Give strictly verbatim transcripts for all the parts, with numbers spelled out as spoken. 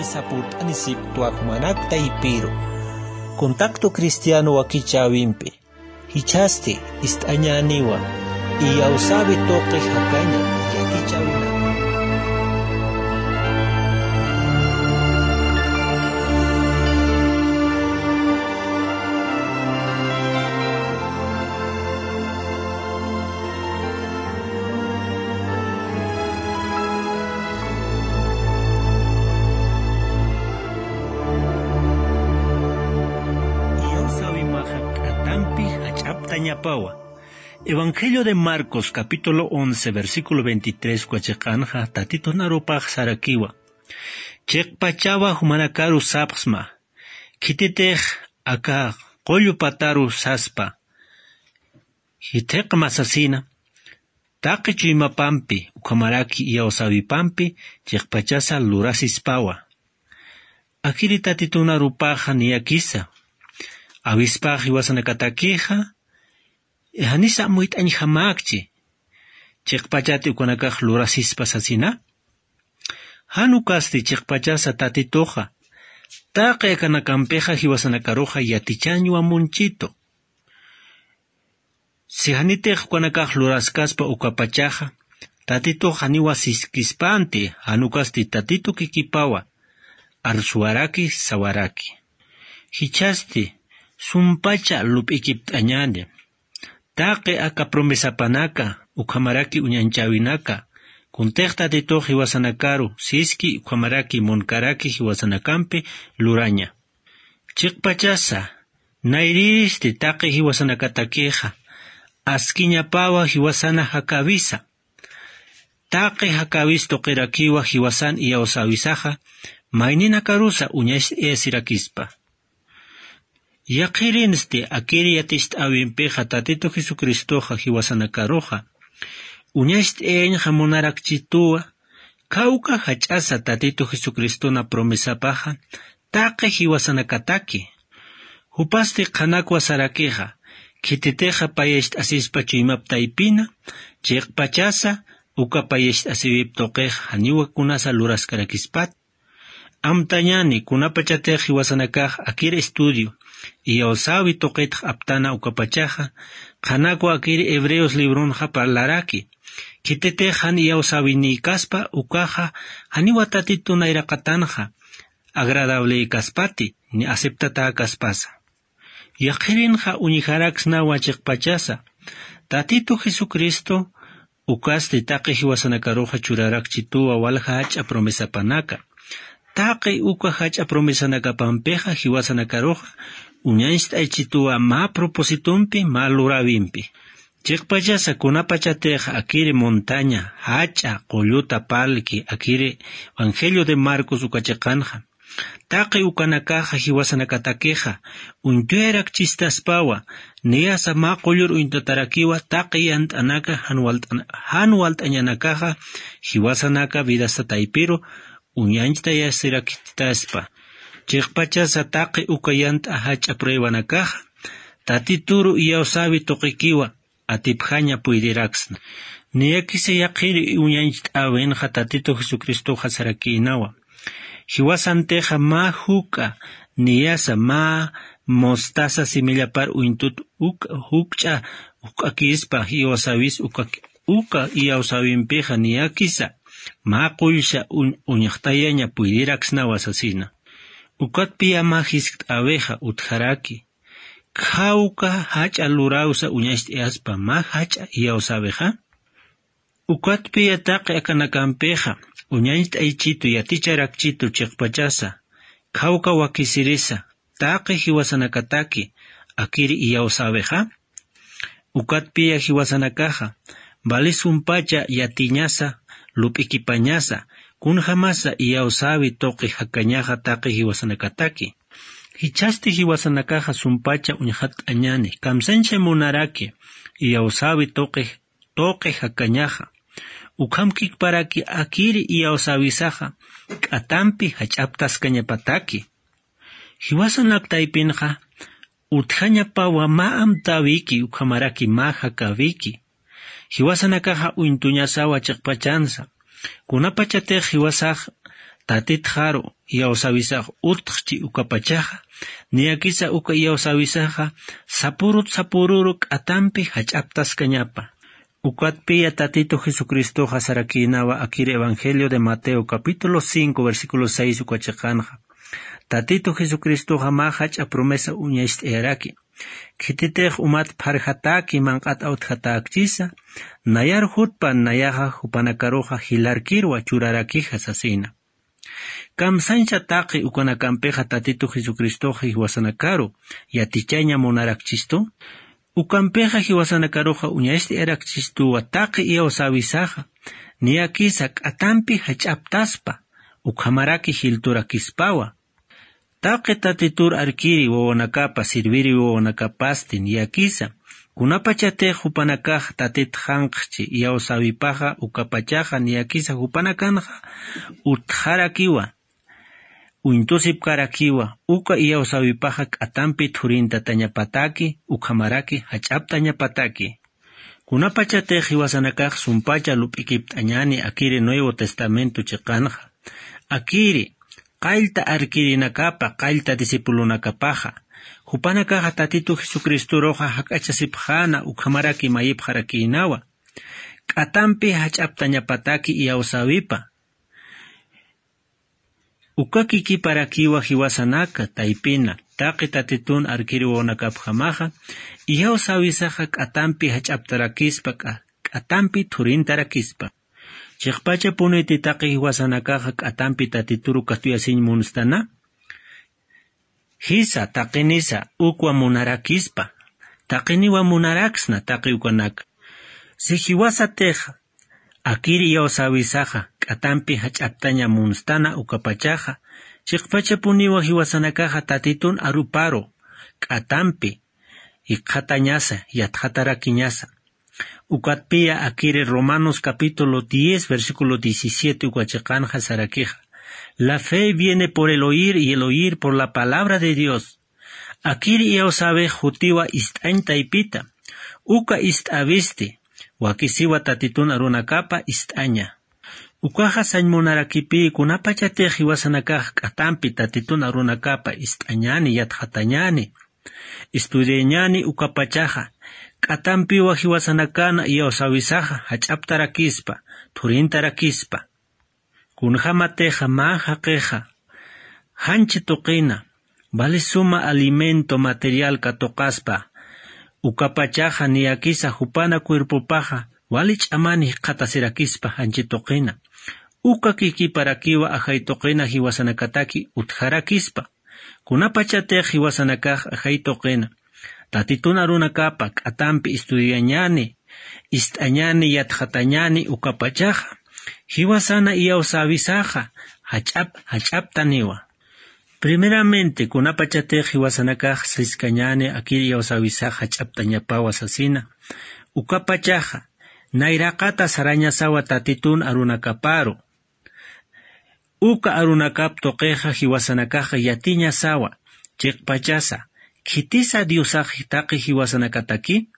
Sapurt'anisipktwa jumanak taypiru. Contacto Cristiano wakichäwimpi. Jichhasti ist'añäniwa iyawsäwi tuqi jakaña yakichäwinaka. Iyawsäwimaxa k'atampi jach'aptañapawa. Evangelio de Marcos, capítulo once, versículo veintitrés, uka chiqanxa Tatitun arupax sarakiwa: Chiqpachawa jumanakaru sapxsma, khititix aka qullu pataru saspa, jithiqma sasina, taqi chuymapampi ukhamaraki iyawsäwipampi chiqpachasa lurasispawa. Akiri Tatitun arupaxa niyakisa, awispax jiwasanakatakixa, janisa amuyt'añjamäkchi, chiqpachati ukanakax lurasispa sasina. Jan ukasti chiqpachasa Tatituxa taqi akanakampixa jiwasanakaruxa yatichañwa munchitu. Si janitix ukanakax luraskaspa ukapachaxa, Tatitux janiwa siskispanti, jan ukasti Tatitu kikipawa arsuwaraki, sawaraki. Jichhasti sumpacha lup'ikipt'añäni. Taqi aka promesapanaka, ukhamaraki uñanchäwinaka, kuntix Tatitux jiwasanakaru siski ukhamaraki munkaraki jiwasanakampi luraña. Chiqpachasa, nayrïristi taqi jiwasanakatakixa askiñapawa jiwasana jakäwisa. Taqi jakäwis tuqirakiwa jiwasan iyawsäwisaxa, mayninakarusa uñacht'ayasirakispa. Yaqhirinsti akiri yaticht'äwimpixa Tatitu Jesucristoxa jiwasanakaruxa uñacht'ayañxa munarakchituwa, khawka jach'asa Tatitu Jesucristona promesapaxa taqi jiwasanakataki. Jupasti qhanakwa sarakixa, khititixa payacht'asispa chuymap taypina, chiqpachasa uka payacht'asiwip tuqixa janiwa kunasa luraskarakispat. Amtañäni kunapachatix jiwasanakax akir estudio iyawsäwi tuqitx aptana ukapachaxa, qhanakwa akir Hebreos libronxa parlaraki, khititix jan iyawsäwinïkaspa ukaxa janiwa Tatitu nayraqatanxa agradablïkaspati ni aceptatäkaspasa. Yaqhirinxa uñjaraksnawa chiqpachasa, Tatitu Jesucristo ukasti taqi jiwasanakaruxa churarakchituwa walja jach'a promesapanaka. Taqi uka jach'a promesanakapampixa jiwasanakaruxa uñacht'aychituwa mä propósitompi, mä luräwimpi. Chiqpachasa kunapachatix akiri montaña, jach'a, qulluta parlki, akiri Evangelio de Marcos uka chiqanxa, taqi ukanakaxa jiwasanakatakixa uñt'ayarakchistaspawa, niyasa mä qullur uñt'atarakiwa taqi yant'anaka jan walt'an-, jan walt'añanakaxa jiwasanaka vidasta taypiru uñacht'ayasirakchitaspa. Chiqpachasa taqi uka yant'a jach'a pruebanakaxa, Tatituru iyawsäwi tuqikiwa atipjaña puydiraksna. Niyakisa yaqhiri uñacht'äwinxa Tatitu Jesucristoxa sarakïnawa. Jiwasantixa mä juk'a niyasa mä mostaza semillapar uñtut uk-, jukch'a juk'akispa iyawsäwis uka, uka iyawsäwimpixa niyakisa mä qullsa uñ-, uñxtayaña puydiraksnawa sasina. Ukatpiya mä jiskt'äwixa utjaraki. Khawka jach'a luräwsa uñacht'ayaspa mä jach'a iyawsäwixa. Ukatpiya taqi akanakampixa uñacht'aychitu yaticharakchitu chiqpachasa, khawka wakisirisa taqi jiwasanakataki akiri iyawsäwixa. Ukatpiya jiwasanakaxa vali sumpacha yatiñasa, lup'ikipañasa, kunjämasa iyawsäwi tuqi jakañaxa taqi jiwasanakataki. Jichhasti jiwasanakaxa sumpacha uñxatt'añäni, kamsañcha munaraki iyawsäwi tuqi, tuqi jakañaxa. Ukhamkikparaki akiri iyawsäwisaxa k'atampi jach'aptaskañapataki. Jiwasanak taypinxa utjañapawa mä amtäwiki ukhamaraki mä jakäwiki. Jiwasanakaxa uñtuñasawa chiqpachansa. Kunapachatix jiwasax Tatitxaru iyawsäwisax utxchi ukapachaxa, niyakisa uka iyawsäwisaxa sapurut sapururu k'atampi jach'aptaskañapa. Ukatpiya Tatitu Jesucristoxa sarakïnawa akir Evangelio de Mateo capítulo cinco versículo seis uka chiqanxa. Tatitu Jesucristoxa mä jach'a promesa uñacht'ayaraki. Khititix umat pharjatäki manq'at awtjatäkchisa, nayar jutpan nayaxa jupanakaruxa jilarkirwa churarakixa sasina. Kamsañcha taqi ukanakampixa Tatitu Jesucristoxa jiwasanakaru yatichaña munarakchistu? Ukampixa jiwasanakaruxa uñacht'ayarakchistuwa taqi iyawsäwisaxa, niyakisa k'atampi jach'aptaspa, ukhamaraki jilturakispawa. Taqi Tatitur arkiri wawanakapa, sirviri wawanakapasti niyakisa, kunapachatix jupanakax Tatitxanqchi iyawsäwipaxa ukapachaxa niyakisa jupanakanxa utjarakiwa, uñtusipkarakiwa, uka iyawsäwipaxa k'atampi thurintatañapataki, ukhamaraki jach'aptañapataki. Kunapachatix jiwasanakax sumpacha lup'ikipt'añani akiri Nuevo Testamento chiqanxa. Akiri, qallta arkirinakapa, qallta discipulonakapaxa, jupanakaxa Tatitu Jesucristoruxa jak'achasipxäna, ukhamaraki mayipxarakïnawa. K'atampi jach'aptañapataki iyawsäwipa. Uka kikiparakiwa jiwasanaka taypina, taqi Tatitun arkiri wawanakapjamaxa, iyawsäwisaxa k'atampi jach'aptarakispa, k'a-, k'atampi thurintarakispa. Chiqpachapuniti taqi jiwasanakaxa k'atampi Tatituru katuyasiñ munstana? Jisa, taqinisa, ukwa munarakispa, taqiniwa munaraksna taqi ukanaka. Si jiwasatix akir iyawsäwisaxa k'atampi jach'aptaña munstana ukapachaxa, chiqpachapuniwa jiwasanakaxa Tatitun aruparu k'atampi jikxatañasa, yatxatarakiñasa. Ukatpiya akiri Romanos capítulo diez, versículo diecisiete uka chiqanxa sarakixa: La fe viene por el oír, y el oír por la palabra de Dios. Akiri iyawsäwix jutiwa ist'añ taypita. Uka ist'äwisti wakisiwa Tatitun arunakapa ist'aña. Ukaxa sañ munarakipï kunapachatix jiwasanakax k'atampi Tatitun arunakapa ist'añani, yatxatañani, estudiañani ukapachaxa, k'atampiwa jiwasanakan iyawsäwisaxa jach'aptarakispa, thurintarakispa. Kunjämatixa mä jaqixa janchi tuqina, vali suma alimento material katuqaspa, ukapachaxa niyakisa jupana cuerpopaxa wali ch'amani jikxatasirakispa janchi tuqina. Uka kikiparakiwa ajay tuqina jiwasanakataki utjarakispa. Kunapachatix jiwasanakax ajay tuqina Tatitun arunakapa k'atampi estudiañani, ist'añani, yatxatañani ukapachaxa, jiwasana iyawsäwisaxa jach'ap jach'aptaniwa. Primeramente, kunapachatix jiwasanakax siskañani akir iyawsäwisax jach'aptañapawa sasina, ukapachaxa nayraqata sarañasawa Tatitun arunakaparu. Uka arunakap tuqixa jiwasanakaxa yatiñasawa, chiqpachasa, khitisa Diosax taqi jiwasanakataki?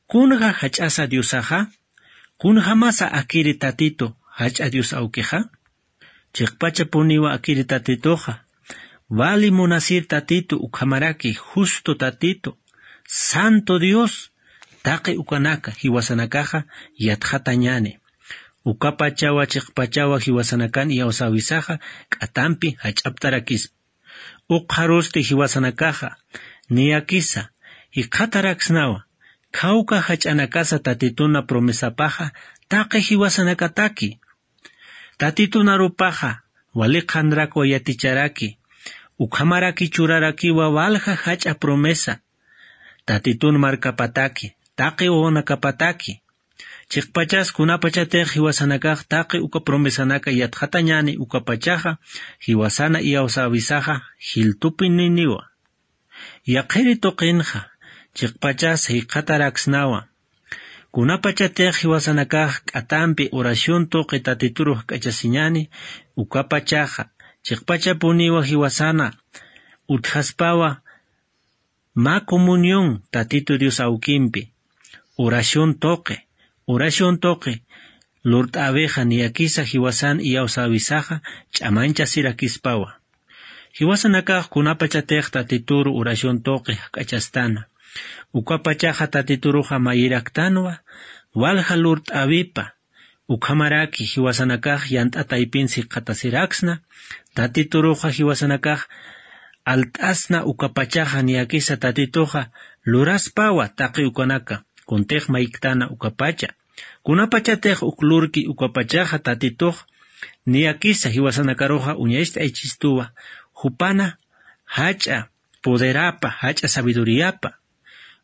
Kunja jach'asa Diosaxa? Kunjamasa akiri Tatitu jach'a Dios awkixa? Chiqpachapuniwa akiri Tatituxa, vali munasir Tatitu, ukhamaraki justo Tatitu, santo Dios, taqi ukanaka jiwasanakaxa yatxatañani. Ukapachawa chiqpachawa jiwasanakan iyawsäwisaxa k'atampi jach'aptarakispa. Ukxarusti jiwasanakaxa niyakisa jikxataraksnawa, khawka jach'anakasa Tatituna promesapaxa taqi jiwasanakataki. Tatitun arupaxa wali qhanrakwa yaticharaki, ukhamaraki churarakiwa walja jach'a promesa Tatitun markapataki, taqi wawanakapataki. Chiqpachas kunapachatix jiwasanakax taqi uka promesanaka yatxatañani ukapachaxa, jiwasana iyawsäwisaxa jiltupininiwa. Yaqhiri tuqinxa chiqpachas jikxataraksnawa. Kunapachatix jiwasanakax k'atampi oración tuqi Tatitur jikxatasiñani, ukapachaxa chiqpachapuniwa jiwasana utjaspawa mä comunión Tatitu Dios awkimpi. Oración tuqi, oración tuqi lurt'äwixa niyakisa jiwasan iyawsäwisaxa ch'amañchasirakispawa. Jiwasanakax kunapachatix tatituru oración tuqi jak'achastana, ukapachaxa tatituruxa mayiraktanwa walja lurt'äwipa. Ukhamaraki jiwasanakax yant'a taypin sikxatasiraksna, tatituruxa jiwasanakax alt'asna ukapachaxa niyakisa tatituxa luraspawa taqi ukanaka kuntix mayktana ukapacha. Kunapachatix uk lurki ukapachaxa tatitux niyakisa jiwasanakaruxa uñacht'aychistuwa, jupana jach'a poderapa jach'a sabiduriyapa.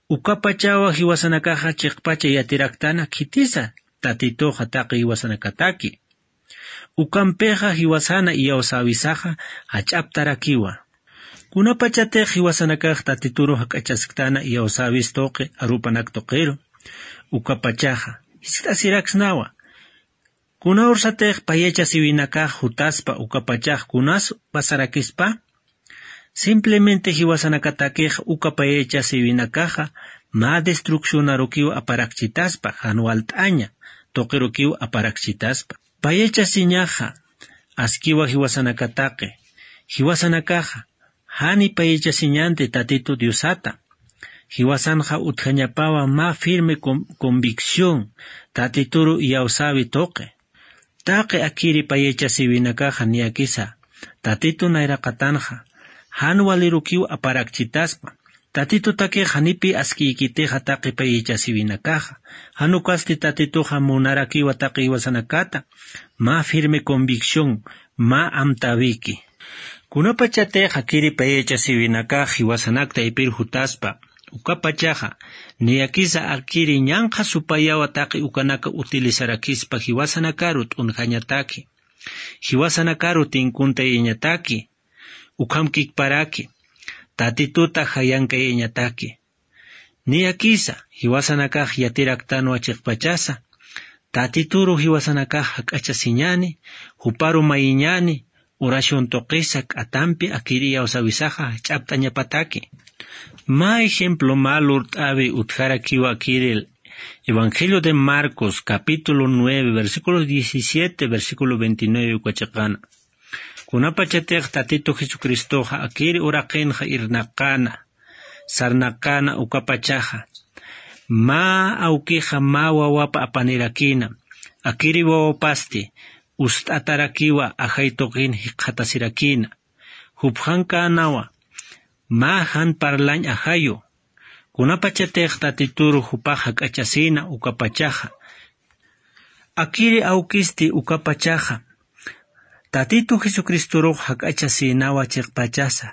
Ukapachawa jiwasanakaxa chiqpacha yatiraktana khitisa tatituxa taqi jiwasanakataki. Ukampixa jiwasana iyawsäwisaxa jach'aptarakiwa. Kunapachatix jiwasanakax tatituru jak'achasktana iyawsäwis tuqi arupanak tuqiru, ukapachaxa jiskt'asiraksnawa. Kuna ursatix payachasiwinakax jutaspa ukapachax kunas pasarakispa? Simplemente jiwasanakatakix uka payachasiwinakaxa mä destruccionarukiw aparakchitaspa, jan walt'aña tuqirukiw aparakchitaspa. Payachasiñaxa askiwa jiwasanakataqi, jiwasanakaxa jani payachasiñanti tatitu diosata. Jiwasanxa utjañapawa mä firme con- convicción tatituru iyawsäwi tuqi. Taqi akiri payachasiwinakaxa niyakisa tatitu nayraqatanxa jan walirukiw aparakchitaspa. Tatitutakix janipi askiykitixa taqi payachasiwinakaxa, jan ukasti tatituxa munarakiwa taqi jiwasanakata. Mä firme convicción, mä amtäwiki. Kunapachatix akiri payachasiwinakax jiwasanak taypir jutaspa, ukapachaxa niyakisa akiri ñanqha supayawa taqi ukanaka utilizarakispa jiwasanakaru t'unjañataki, jiwasanakaru tinkuntayañataki, ukhamkikparaki tatituta jayankayañataki. Niyakisa jiwasanakax yatiraktanwa chiqpachasa tatituru jiwasanakax jak'achasiñani, juparu mayiñani, oración tuqisa k'atampi akiri iyawsäwisaxa jach'apt'añapataki. Mä ejemplo mä lurt'äwi utjarakiwa akiril. Evangelio de Marcos capítulo nueve versículo diecisiete versículo veintinueve uka chiqana. Kunapachatix tatitu jesucristoxa akiri uraqinxa irnaqana, sarnaqana ukapachaxa, mä awkixa mä wawapa apanirakina, akiri wawapasti ust'atarakiwa ajay tuqin jikxatasirakina. Jupxankanawa mä jan parlañ ajayu. Kunapachatix tatituru jupax jak'achasina ukapachaxa, akiri awkisti ukapachaxa tatitu jesucristorux jak'achasinawa chiqpachasa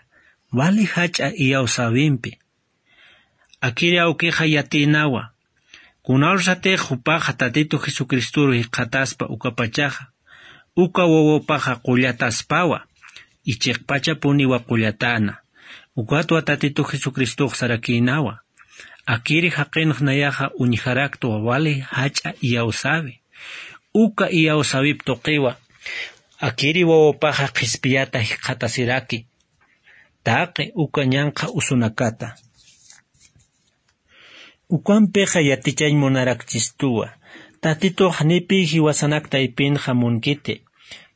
wali jach'a iyawsäwimpi. Akiri awkixa yatinawa, kunawsatix jupaxa tatitu jesucristoru jikxataspa ukapachaxa uka wawapaxa qullataspawa y chiqpachapuniwa qullatana. Ukatwa tatitu jesucristox sarakinawa, akiri jaqinx nayaxa uñjaraktwa wali jach'a iyawsäwi. Uka iyawsäwip tuqiwa akiri wawapaxa qhispiyata jikxatasiraki taqi uka ñanqha usunakata. Ukampixa yatichañ munarakchistuwa, tatitux janipi jiwasanak taypinxa munkiti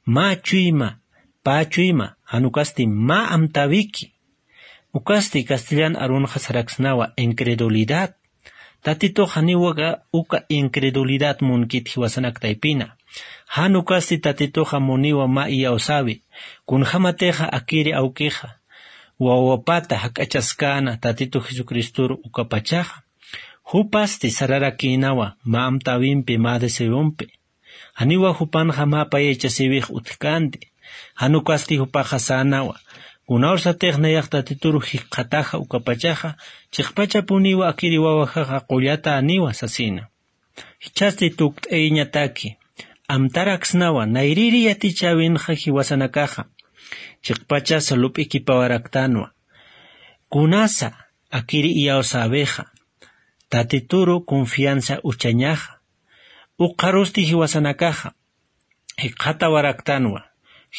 mä chuyma, pä chuyma, jan ukasti mä amtäwiki. Ukasti castellan arunxa saraksnawa incredulidad. Tatitux janiwa uka incredulidad munkit jiwasanak taypina. Jan ukasti tatituxa muniwa mä iyawsäwi, kunjämatixa akiri awkixa wawapata jak'achaskäna tatitu jesucristoru ukapachaxa, jupasti sararakïnawa mä amtäwimpi mä deseompi. Janiwa jupanxa mä payachasiwix utjkänti. Jan ukasti jupaxa sänawa, kunawsatix nayax tatituru jikxataxa ukapachaxa, chiqpachapuniwa akiri wawajaxa qullataniwa sasina. Jichhasti tukt'ayañataki, amtaraksnawa nayrïri yatichäwinxa jiwasanakaxa chiqpachasa lup'ikipawaraktanwa. Kunasa akiri iyawsäwixa tatituru confianza uchañaxa. Ukxarusti jiwasanakaxa jikxatawaraktanwa.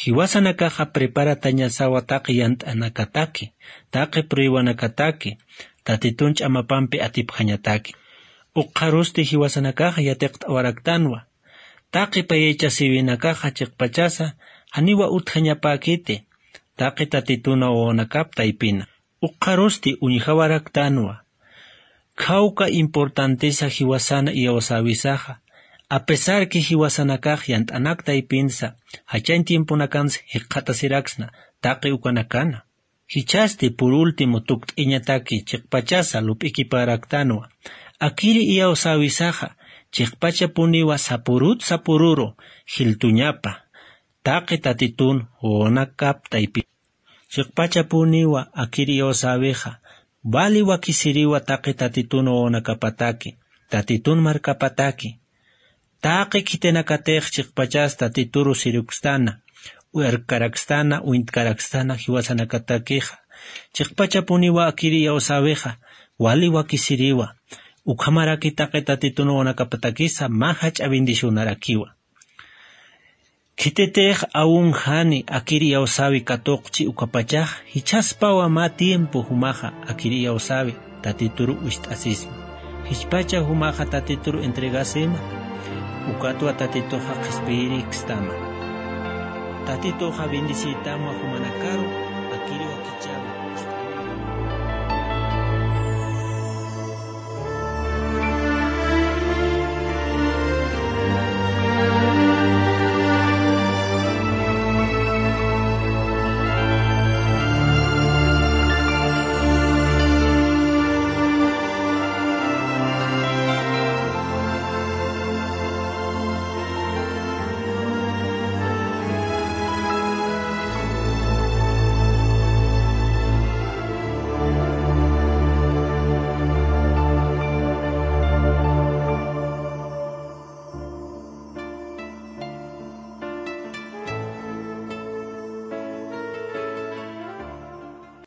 Jiwasanakaxa preparatañasawa taqi yant'anakataki, taqi pruebanakataki tatitun ch'amapampi atipxañataki. Ukxarusti jiwasanakaxa yatiqt'awaraktanwa Taqi payachasiwinakaxa chiqpachasa janiwa utjañapäkiti taqi tatitun wawanakap taypina. Ukxarusti uñjawaraktanwa. Khawka importantesa jiwasana iyawsäwisaxa, apesar que jiwasanakax yant'anak taypinsa jachañ tiemponakansa jikxatasiraksna taqi ukanakana. Jichhasti por último tukt'iñataki chiqpachasa lup'ikiparaktanwa. Akiri iyawsäwisaxa chiqpachapuniwa sapurut sapururu jiltuñapa taqi tatitun wawanakap taypi. Chiqpachapuniwa akiri iyawsäwixa wali wakisiriwa taqi tatitun wawanakapataki, tatitun markapataki. Taqi khitinakatix chiqpachas tatituru sirukstana, uñtkarakstana, uñtkarakstana jiwasanakatakixa. Chiqpachapuniwa akiri iyawsäwixa wali wakisiriwa. Ukhamaraki taqi tatitun wawanakapatakisa mä jach'a bendicionarakiwa. Khititix awunjani akiri iyawsäwi katuqchi ukapachax, jichhaspawa mä tiempo jumaxa akiri iyawsäwi tatituru ucht'asisma. Jichpacha jumaxa tatituru entregasima, ukatwa tatituxa qhispiyirikstama. Tatituxa bendeciytamwa jumanakaru akiri wakichäwi.